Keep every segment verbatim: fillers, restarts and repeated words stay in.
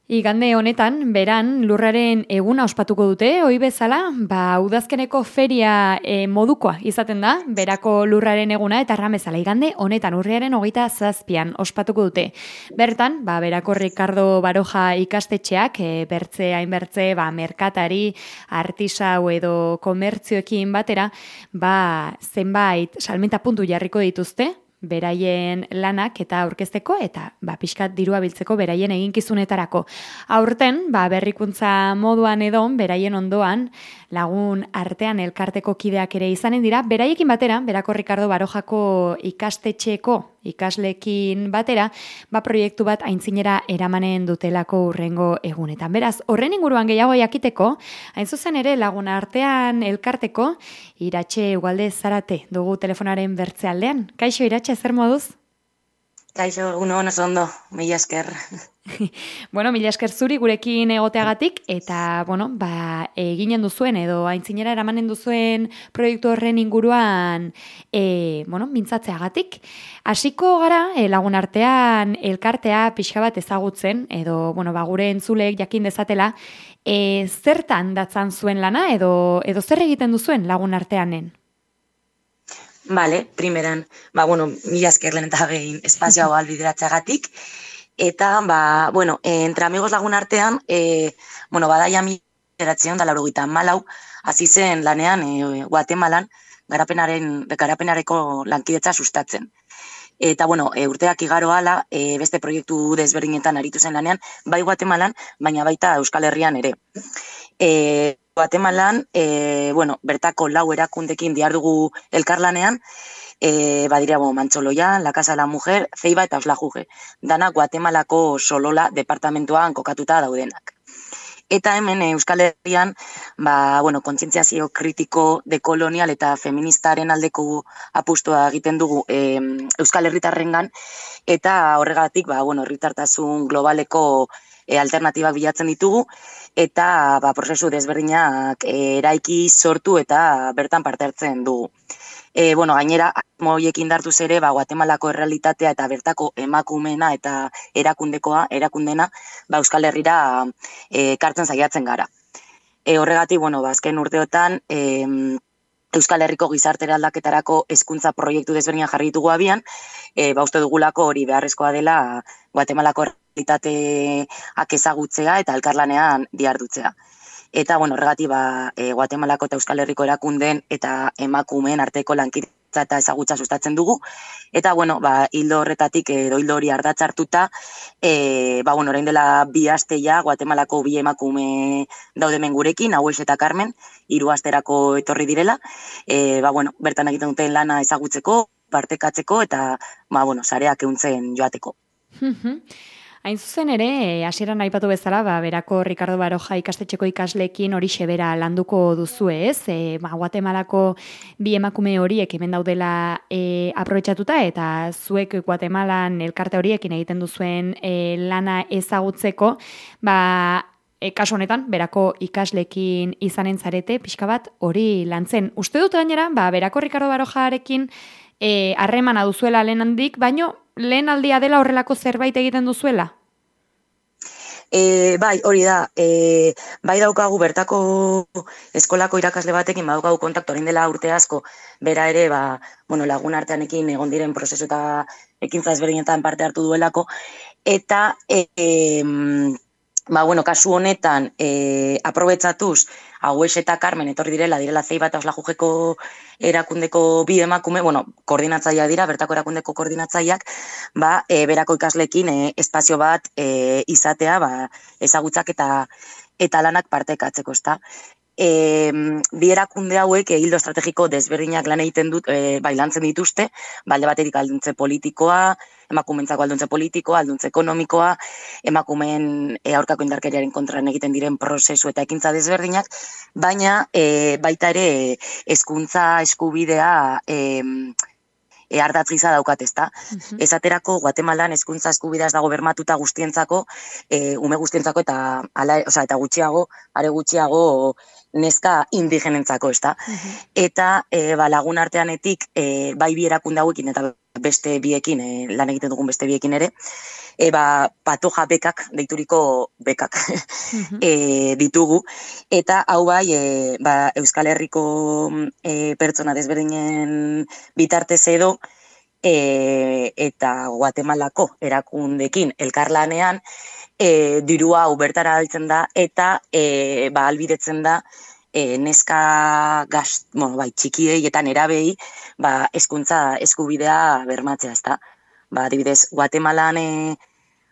Igande honetan, beran, lurraren eguna ospatuko dute, ohi bezala, ba, udazkeneko feria e, modukoa izaten da, berako lurraren eguna, eta erran bezala, igande honetan, urriaren hogeita zazpian ospatuko dute. Bertan, ba, berako Ricardo Baroja ikastetxeak, e, bertze, hainbertze, ba, merkatari, artisau edo komertzioekin batera, ba, zenbait salmenta puntu jarriko dituzte, beraien lanak eta aurkezteko eta ba, pixkat dirua biltzeko beraien eginkizunetarako. Aurten, ba, berrikuntza moduan edo, beraien ondoan, lagun artean elkarteko kideak ere izanen dira, beraiekin batera, berako Ricardo Barojako ikastetxeko ikaslekin batera, ba, proiektu bat aintzinera eramanen dutelako urrengo egunetan. Beraz, horren inguruan gehiago jakiteko, hain zuzen ere lagun artean elkarteko, Iratxe Ugalde Zarate dugu telefonaren bertzealdean. Kaixo, Iratxe, zer moduz? Kaixo, egun hon oso ondo, mila esker. Bueno, mila esker zuri gurekin egoteagatik, eta, bueno, ba, eginen duzuen, edo aintzinera eramanen duzuen proiektu horren inguruan, e, bueno, mintzatzeagatik. Hasiko gara, e, lagun artean elkartea pixka bat ezagutzen, edo, bueno, ba, gure entzuleek jakin dezatela, e, zertan datzan zuen lana, edo, edo zer egiten duzuen lagun arteanen? Vale, primeran, ba, bueno, mila esker lehen eta gehin espazio hau albideratzeagatik, eta, ba, bueno, entre amigos lagun artean, e, bueno, badaia mila bederatziehun eta laurogeita hamalau, hasi zen lanean, e, Guatemalan, garapenaren, garapenareko lankidetza sustatzen. Eta, bueno, e, urteak igaro ala, e, beste proiektu desberdinetan aritu zen lanean, bai Guatemalan, baina baita Euskal Herrian ere. E, Guatemalan, e, bueno, bertako lau erakundekin dihardugu elkarlanean, e, badira, bo, Mantzoloia, La Casa de la Mujer, Ceiba eta Oslajuge. Dana Guatemalako Solola departamentuan kokatuta daudenak. Eta hemen Euskal Herrian, ba, bueno, kontzientziazio kritiko, dekolonial eta feministaren aldeko apustua egiten dugu e, Euskal Herritarrengan, eta horregatik, ba, bueno, herritartasun globaleko e, alternatibak bilatzen ditugu, eta ba, prozesu desberdinak e, eraiki sortu eta bertan parte hartzen dugu. E, bueno, gainera, moiekin dartuz ere, ba, Guatemalako errealitatea eta bertako emakumena eta erakundekoa, erakundena, ba, Euskal Herrira e, kartzen saiatzen gara. E, horregatik, bueno, ba, azken urteotan, e, Euskal Herriko gizartera aldaketarako hezkuntza proiektu desberdinak jarri ditugu abian, e, ba, uste dugulako hori beharrezkoa dela Guatemalako errealitateak ezagutzea eta elkarlanean dihardutzea. Eta, bueno, horregatik, ba, e, Guatemalako eta Euskal Herriko erakundeen eta emakumeen arteko lankidetza eta ezagutza sustatzen dugu. Eta, bueno, ba, hildo horretatik, edo hildo hori ardatz hartuta, e, ba, bueno, orain dela bi asteia, Guatemalako bi emakume daudemen gurekin, Haues eta Carmen, hiru asterako etorri direla. E, ba, bueno, bertan egiten duten lana ezagutzeko, partekatzeko, eta, ba, bueno, sareak ehuntzen joateko. Hain zuzen ere, hasieran aipatu bezala, ba, berako Ricardo Baroja ikastetxeko ikasleekin hori xebera landuko duzue, ez? E, ba, Guatemalako bi emakume horiek hemen daudela e, aprobetxatuta, eta zuek Guatemalan elkarte horiekin egiten duzuen e, lana ezagutzeko, ba, e, kasu honetan, berako ikasleekin izanen zarete, pixka bat hori lantzen. Uste dut gainera, ba, berako Ricardo Barojarekin harremana e, duzuela lehen handik, baino lehen aldia dela horrelako zerbait egiten duzuela? E, bai, hori da, e, bai daukagu bertako eskolako irakasle batekin, badaukagu kontaktu orain dela urte asko, bera ere, ba, bueno, lagun arteanekin egon diren prozesu eta ekintza ezberdinetan parte hartu duelako, eta e, e, ba, bueno, kasu honetan e, aprobetxatuz, Haues eta Carmen etorri direla, direla Ceiba eta Oslajugeko erakundeko bi emakume, bueno, koordinatzaileak dira, bertako erakundeko koordinatzaileak, ba, e, berako ikaslekin e, espazio bat e, izatea, ba, ezagutzak eta eta lanak partekatzeko, ezta. E, bi erakunde hauek hildo estrategiko desberdinak lan egiten dut, e, bai lantzen dituzte, balde batetik alduntze politikoa, emakumentzako alduntze politikoa, alduntze ekonomikoa, emakumeen e, aurkako indarkeriaren kontran egiten diren prozesu eta ekintza desberdinak, baina e, baita ere hezkuntza eskubidea e, e, ardatz gisa daukat, ezta. Uh-huh. Esaterako Guatemalan hezkuntza eskubidea ez dago bermatuta guztientzako, e, ume guztientzako eta ala, osea, eta gutxiago, are gutxiago neska indigenentzako, ezta. Uh-huh. Eta e, ba, lagun arteanetik e, bai bi erakunde hauekin eta beste biekin, e, lan egiten dugun beste biekin ere, e, ba, patoja bekak, deituriko bekak Mhm. e, ditugu, eta hau bai, e, ba, Euskal Herriko e, pertsona desberdinen bitartez edo, e, eta Guatemalako erakundekin elkarlanean, e, dirua hau bertara altzen da, eta e, ba, albidetzen da, E, neska gaz, bueno, bai, txikiei eta nerabei ba, hezkuntza eskubidea bermatzea, ezta. Ba, adibidez, Guatemalan e,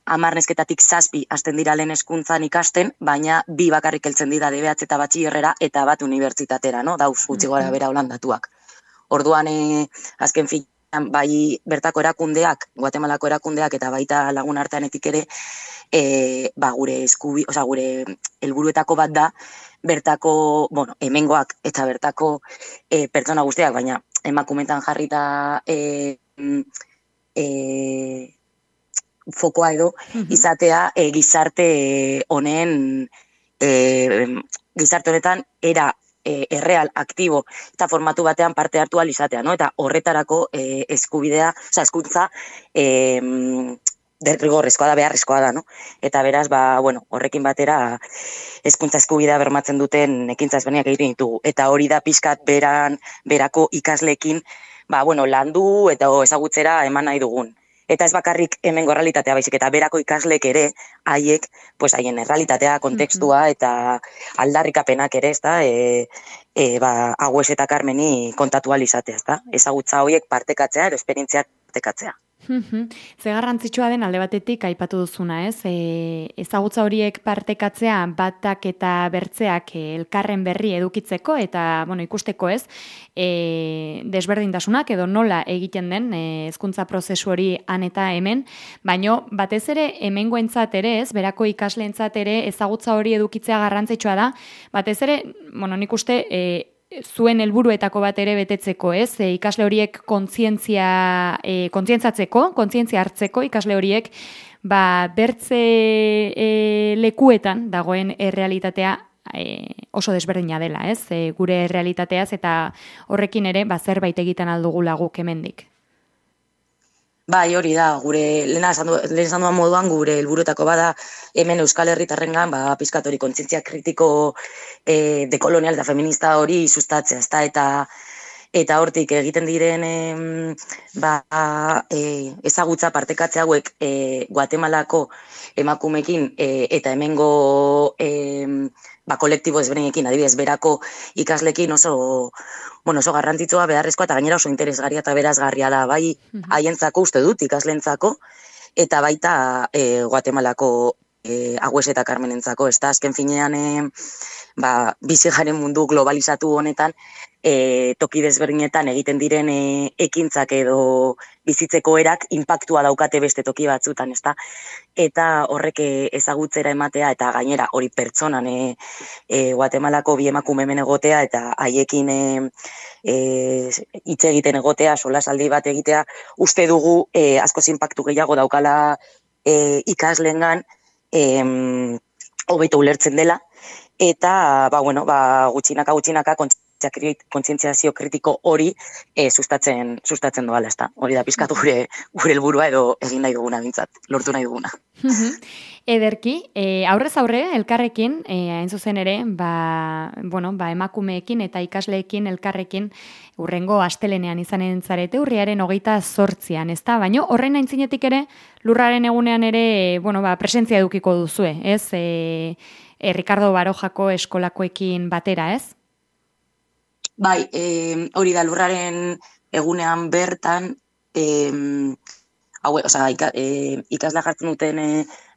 hamar nesketatik zazpi hasten dira lehen hezkuntzan ikasten, baina bi bakarrik heltzen dira D B H eta batxillerrera eta bat unibertsitatera, no? Dauz gutxi gora bera holandatuak. Orduan, e, azken finean, bai bertako erakundeak, Guatemalako erakundeak eta baita lagun arteanetik ere, e, ba, gure eskubi, oza, gure helburuetako bat da, bertako, bueno, hemengoak eta bertako e, pertsona guztiak, baina emakumetan jarrita e, e, fokoa edo, izatea e, gizarte honen, e, gizarte honetan era e, erreal, aktibo eta formatu batean parte hartu ahal izatea, no? Eta horretarako e, eskubidea, oza, eskuntza, e, derrigorrezkoa da, beharrezkoa da, no? Eta beraz, ba, bueno, horrekin batera hezkuntza eskubidea bermatzen duten ekintza ezberdinak egiten ditugu. Eta hori da pixkat beran, berako ikasleekin, ba, bueno, landu eta ezagutzera eman nahi dugun. Eta ez bakarrik hemengo errealitatea baizik, eta berako ikasleek ere, haiek, pues haien errealitatea, kontekstua eta aldarrikapenak ere, ezta, e, e, ba, Agües eta Carmeni kontatu ahal izatea, ezta? Ezagutza horiek partekatzea, edo esperientziak partekatzea. Ze garrantzitsua den alde batetik aipatu duzuna, ez? E, ezagutza horiek partekatzea batak eta bertzeak elkarren berri edukitzeko eta, bueno, ikusteko, ez? E, desberdintasunak edo nola egiten den e, hezkuntza prozesu hori han eta hemen, baino batez ere hemengoentzat ere, ez? Berako ikasleentzat ere ezagutza hori edukitzea garrantzitsua da. Batez ere, bueno, nik uste e, zuen helburuetako bat ere betetzeko, ez? E, ikasle horiek kontzientzia e, kontzientzatzeko, kontzientzia hartzeko ikasle horiek ba bertze e, lekuetan dagoen errealitatea e, oso desberdina dela, ez? E, gure errealitateaz eta horrekin ere ba zerbait egiten aldugula guk hemendik. Bai, hori da, gure lehen esan duan moduan gure helburuetako bada hemen Euskal Herritarrengan ba pizkat hori kontzientzia kritiko e, dekolonial eta feminista hori sustatzea, ezta eta eta hortik egiten diren e, ba, e, ezagutza partekatze hauek e, Guatemalako emakumekin e, eta hemengo e, ba, kolektibo ezberdinekin, adibidez, berako ikaslekin oso, bueno, oso garrantzitsua, beharrezkoa eta gainera oso interesgarria eta berazgarria da, bai haientzako uste dut ikaslentzako eta baita e, Guatemalako e, Agües eta Carmenentzako, ez da, azken finean e, ba, bizi garen mundu globalizatu honetan e, toki desberdinetan egiten diren e, ekintzak edo bizitzeko erak inpaktua daukate beste toki batzutan, ezta? Eta horrek ezagutzera ematea eta gainera hori pertsonan e, e, Guatemalako bi emakume hemen egotea eta haiekin e, e, hitz egiten egotea, solasaldi bat egitea, uste dugu e, askoz inpaktu gehiago daukala e, ikasleengan e, hobeto ulertzen dela. Eta, ba, bueno, ba, gutxinaka, gutxinaka, kontzientziazio kritiko hori e, sustatzen, sustatzen doala, ezta. Hori da pizkatu gure, gure helburua edo egin nahi duguna bintzat, lortu nahi duguna. Ederki, e, aurrez aurre, elkarrekin, e, hain zuzen ere, ba, bueno, ba, emakumeekin eta ikasleekin elkarrekin urrengo astelenean izanen zarete, urriaren hogeita zortzian, ezta? Baina horrein aintzinetik ere, lurraren egunean ere, bueno, ba, presentzia edukiko duzue, ez? E, E, Ricardo Barojako eskolakoekin batera, ez? Bai, e, hori da lurraren egunean bertan, e, hau, oza, ika, e, ikasla jartzen duten e,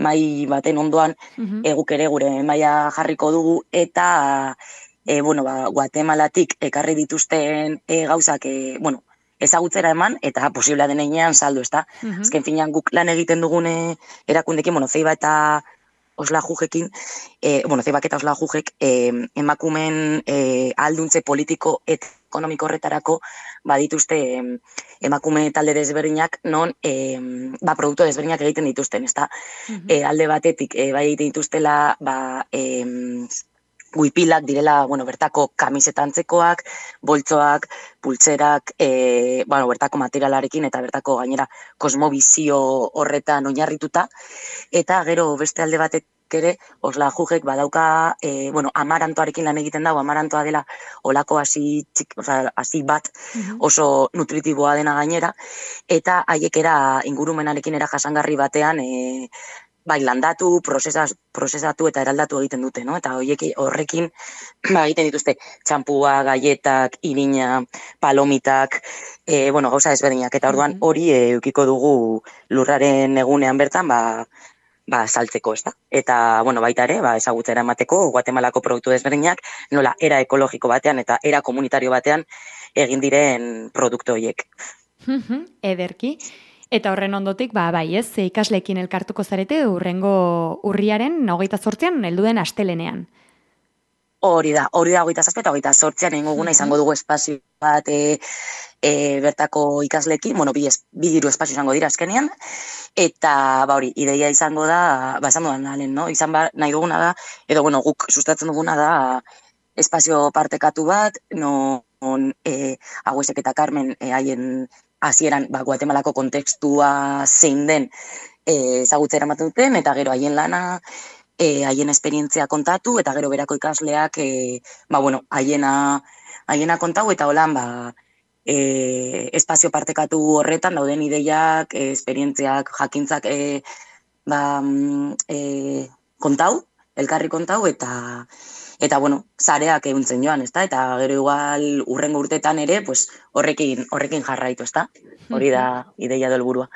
mai baten ondoan, uh-huh. eguk ere gure maila jarriko dugu, eta e, bueno, ba, Guatemalatik ekarri dituzten e, gauzak, e, bueno, ezagutzera eman, eta posiblea denean saldu, ezta? Uh-huh. Azken finean guk lan egiten dugune erakundekin, bueno, Zeiba eta Osla Jujekin, e, bueno, Zeibak eta Osla Jujek e, emakumen e, alduntze politiko eta ekonomiko horretarako badituzte e, emakume talde desberdinak non e, ba, produktu desberdinak egiten dituzten, ezta? Uh-huh. E, alde batetik, e, bai egiten dituztela, ba, e, guipilak direla, bueno, bertako kamisetantzekoak, boltsoak, pultzerak, e, bueno, bertako materialarekin eta bertako gainera kosmobizio horretan oinarrituta, eta gero beste alde batek ere, osla jujek badauka, e, bueno, amarantoarekin lan egiten dago, amarantoa dela olako hasi txik, oza, hasi bat oso nutritiboa dena gainera, eta haiek era ingurumenarekin era jasangarri batean, e, bai, landatu, prozesaz, prozesatu eta eraldatu egiten dute, no? Eta horiek horrekin ba, egiten dituzte txampua, gaietak, irina, palomitak, e, bueno, gauza ezberdinak. Eta orduan hori e, eukiko dugu lurraren egunean bertan, ba, ba, saltzeko, ez da? Eta, bueno, baita ere, ba, ezagutzera emateko, Guatemalako produktu desberdinak, nola, era ekologiko batean eta era komunitario batean egin diren produktu horiek. Ederki. Eta horren ondotik, ba, bai ez, ikasleekin elkartuko zarete urrengo urriaren hogeita zortzian heldu den astelenean. Hori da, hori da hogeita zazpi eta hogeita zortzian inguguna izango dugu espazio bat e, e, bertako ikasleekin, bueno, bi, bi diru espazio izango dira azkenean, eta ba hori, ideia izango da, ba, esan dudan nalen, no? Izan ba, nahi duguna da, edo bueno, guk sustatzen duguna da espazio partekatu bat, non e, Agüesek eta Carmen e, haien hasieran ba, Guatemalako kontekstua zein den ezagutzera ematen duten, eta gero haien lana, e, haien esperientzia kontatu, eta gero berako ikasleak, e, ba, bueno, haiena, haiena kontau, eta holan, ba, e, espazio partekatu horretan dauden ideiak, e, esperientziak, jakintzak, e, ba, e, kontau, elkarri kontau, eta eta bueno, zareak ehuntzen joan, ezta? Eta gero igual urrengo urtetan ere, pues horrekin horrekin jarraitu, ezta? Hori da ideia do helburua.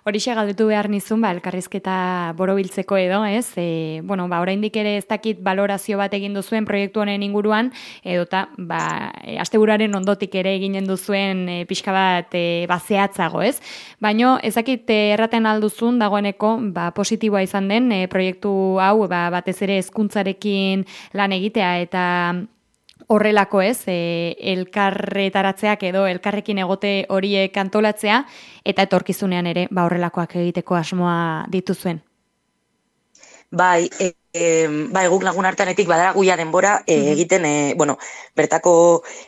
Horixe galdetu behar nizun, ba, elkarrizketa borobiltzeko edo, ez? E, bueno, ba, oraindik ere ez dakit balorazio bat egin duzuen proiektu honen inguruan, edota, ba, e, asteburaren ondotik ere eginen duzuen e, pixka bat e, bazeatzago, ez? Baino, ez dakit e, erraten alduzun dagoeneko, ba, positiboa izan den e, proiektu hau, ba, batez ere hezkuntzarekin lan egitea eta horrelako ez, e, elkarretaratzeak edo elkarrekin egote horiek antolatzea, eta etorkizunean ere ba, horrelakoak egiteko asmoa dituzuen. Bai, e, e, bai, guk lagun arteanetik badara guia denbora e, egiten, e, bueno, bertako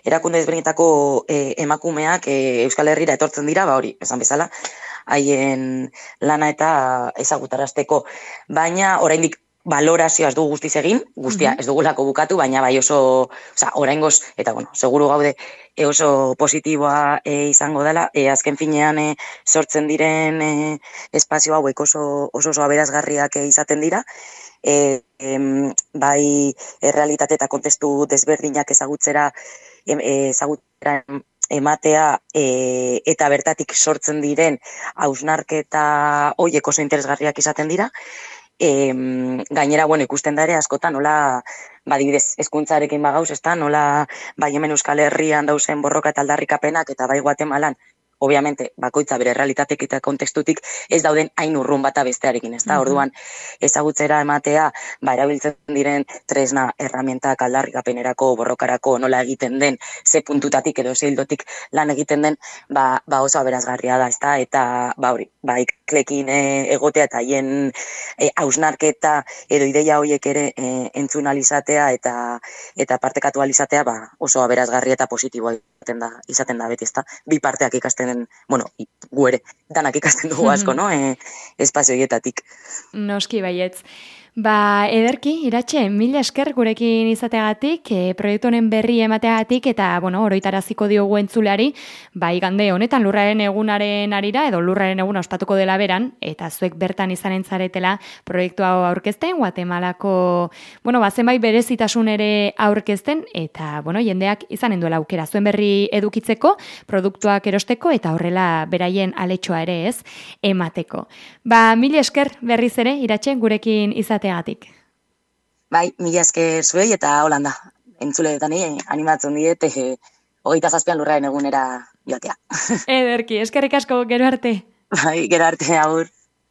erakunde ezberdinetako e, emakumeak e, Euskal Herrira etortzen dira, ba hori, esan bezala, haien lana eta ezagutarazteko, baina oraindik balorazioa ez dugu guztiz egin, guztia ez dugulako bukatu, baina bai oso, oza, oraingoz, eta bueno, seguru gaude e oso positiboa e, izango dela, e, azken finean e, sortzen diren e, espazio hauek oso, oso, oso aberazgarriak e, izaten dira, e, em, bai errealitate eta kontestu desberdinak ezagutzera, em, ezagutzera ematea e, eta bertatik sortzen diren hausnarketa horiek oso interesgarriak izaten dira. E, gainera, bueno, ikusten da ere askotan, nola, badibidez, hezkuntzarekin bagauz, ezta, nola, bai hemen Euskal Herrian dauzen borroka eta aldarrikapenak, eta bai Guatemalan, obviamente, bakoitza bere realitatek eta kontekstutik ez dauden hain urrun bata bestearekin, ezta, orduan, ezagutzera ematea, ba, erabiltzen diren tresna, erramientak, aldarrikapenerako, borrokarako, nola egiten den, ze puntutatik edo ze hildotik lan egiten den, ba, ba oso aberazgarria da, ezta, eta, ba, hori, ba, iklekin e, egotea eta haien e, hausnarketa edo ideia horiek ere e, entzun alizatea eta eta partekatu alizatea ba, oso aberazgarria eta positiboa izaten da, izaten da beti, ezta? Bi parteak ikasten, bueno, gu ere, danak ikasten dugu asko, no? E, espazio hietatik. Noski baietz. Ba, ederki, Iratxe, mila esker gurekin izateagatik, e, proiektu honen berri emateagatik, eta, bueno, oroitaraziko diogu entzulari, ba, igande honetan lurraren egunaren arira, edo lurraren eguna ospatuko dela beran, eta zuek bertan izanen zaretela proiektu hau aurkezten, Guatemalako, bueno, ba, zenbait berezitasun ere aurkezten, eta, bueno, jendeak izanen duela aukera, zuen berri edukitzeko, produktuak erosteko, eta horrela beraien aletxoa ere ez, emateko. Ba, mila esker berriz ere, Iratxe, gurekin izateagatik. Teatik. Bai, mila esker zuei eta holanda. Entzuleetan animatzen diet eh, hogeita zazpian lurraren egunera joatea. Ederki, eskerrik asko, gero arte. Bai, gero arte, agur.